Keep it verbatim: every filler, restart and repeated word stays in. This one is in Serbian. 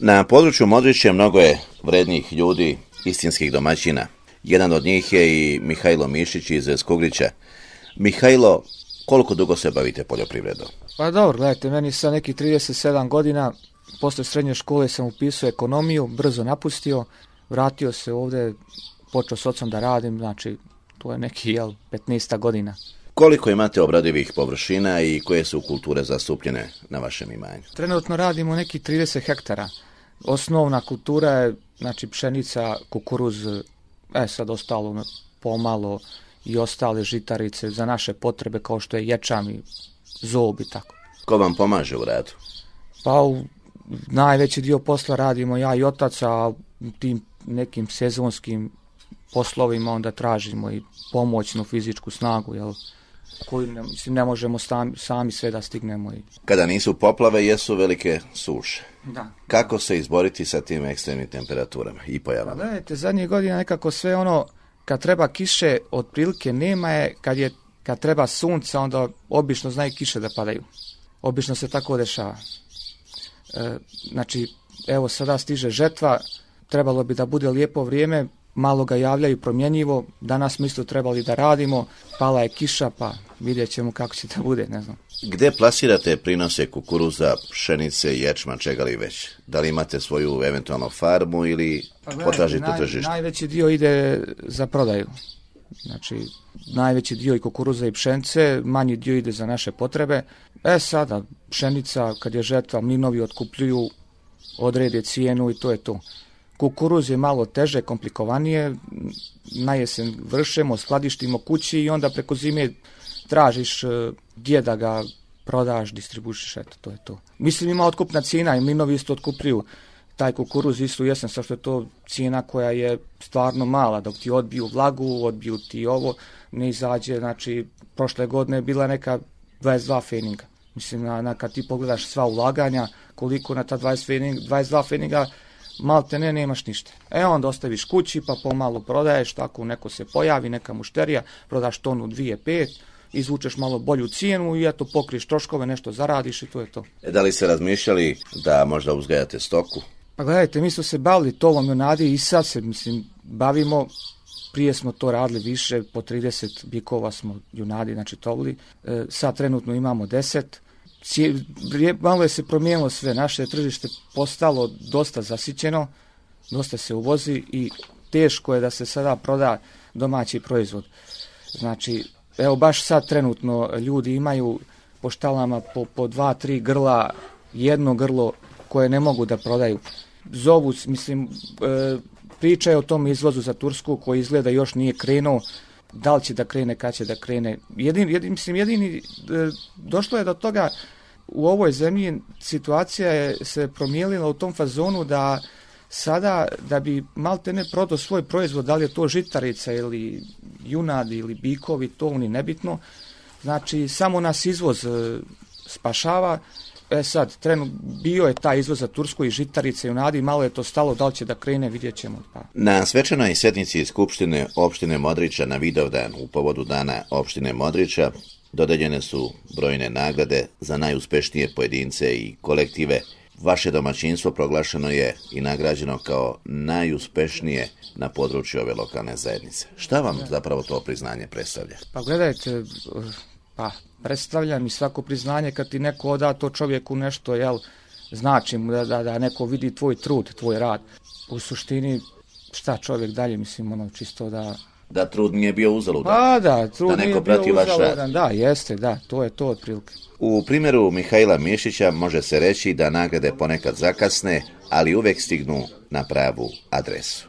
Na području Modrića mnogo je vrednih ljudi, istinskih domaćina. Jedan od njih je i Mihajlo Mišić iz Skugrića. Mihajlo, koliko dugo se bavite poljoprivredom? Pa dobro, gledajte, meni sa nekih trideset sedam godina, posle srednje škole sam upisao ekonomiju, brzo napustio, vratio se ovdje, počeo s ocem da radim, znači to je neki, jel, petnaest godina. Koliko imate obradivih površina i koje su kulture zastupljene na vašem imanju? Trenutno radimo neki trideset hektara. Osnovna kultura je, znači, pšenica, kukuruz, e sad ostalo pomalo i ostale žitarice za naše potrebe kao što je ječam i zob i tako. Ko vam pomaže u radu? Pa u najveći dio posla radimo ja i otac, a tim nekim sezonskim poslovima onda tražimo i pomoćnu fizičku snagu, jel, koju ne, mislim, ne možemo sami, sami sve da stignemo. I... Kada nisu poplave, jesu velike suše. Da. Kako se izboriti sa tim ekstremnim temperaturama i pojavama? Gledajte, zadnjih godina nekako sve ono, kad treba kiše, otprilike nema je, kad, je, kad treba sunca, onda obično znaju kiše da padaju. Obično se tako dešava. E, znači, evo sada stiže žetva, trebalo bi da bude lijepo vrijeme, malo ga javljaju promjenjivo, danas mi isto trebali da radimo, pala je kiša, pa vidjet ćemo kako će da bude, ne znam. Gde plasirate prinose kukuruza, pšenice, ječma, čega li već? Da li imate svoju eventualno farmu ili pa, potražite naj, tržište? Najveći dio ide za prodaju. Znači, najveći dio i kukuruza i pšenice, manji dio ide za naše potrebe. E sada, pšenica, kad je žetva, mlinovi otkupljuju, odrede cijenu i to je to. Kukuruz je malo teže, komplikovanije, na jesen vršemo, skladištimo kući i onda preko zime tražiš gdje da ga prodaš, distribušiš, eto, to je to. Mislim, ima otkupna cijena i mlinovi isto otkupljuju taj kukuruz isto u jesen, sa što je to cijena koja je stvarno mala, dok ti odbiju vlagu, odbiju ti ovo, ne izađe, znači, prošle godine je bila neka dvadeset dva feninga. Mislim, na, na, kad ti pogledaš sva ulaganja, koliko na ta dvadeset, fening, dvadeset dva feninga, malte ne, nemaš ništa. E onda ostaviš kući, pa pomalo prodaješ, tako neko se pojavi, neka mušterija, prodaš tonu, dvije, pet, izvučeš malo bolju cijenu i eto pokriješ troškove, nešto zaradiš i to je to. E, da li ste razmišljali da možda uzgajate stoku? Pa gledajte, mi smo se bavili tovom junadi i sad se, mislim, bavimo, prije smo to radili više, po trideset bikova smo junadi, znači tovili, e, sad trenutno imamo deset. Malo je se promijenilo sve, naše tržište postalo dosta zasićeno, dosta se uvozi i teško je da se sada proda domaći proizvod. Znači, evo baš sad trenutno ljudi imaju po štalama po, po dva, tri grla, jedno grlo koje ne mogu da prodaju. Zovu, mislim, e, pričaju o tom izvozu za Tursku koji izgleda još nije krenuo, da li će da krene, kad će da krene. Jedin, jedin, mislim, jedini, e, došlo je do toga. U ovoj zemlji situacija je se promijenila u tom fazonu da sada da bi malte ne prodao svoj proizvod, da li je to žitarica ili junad ili bikovi, to ni nebitno. Znači, samo nas izvoz e, spašava. E sad, trenut, bio je taj izvoz za Tursku i žitarice i junadi, malo je to stalo, da li će da krene, vidjet ćemo. Pa. Na svečanoj sjednici Skupštine opštine Modrića na Vidovdan u povodu dana opštine Modrića dodeljene su brojne nagrade za najuspešnije pojedince i kolektive. Vaše domaćinstvo proglašeno je i nagrađeno kao najuspešnije na području ove lokalne zajednice. Šta vam zapravo to priznanje predstavlja? Pa gledajte, pa predstavlja mi svako priznanje kad ti neko oda to čovjeku nešto, jel, znači mu da, da, da neko vidi tvoj trud, tvoj rad. U suštini, šta čovjek dalje, mislim, ono, čisto da... Da trud nije bio uzaludan. Pa da, trud da nije bio uzaludan, da, jeste, da, to je to otprilike. U primjeru Mihajla Mišića može se reći da nagrade ponekad zakasne, ali uvek stignu na pravu adresu.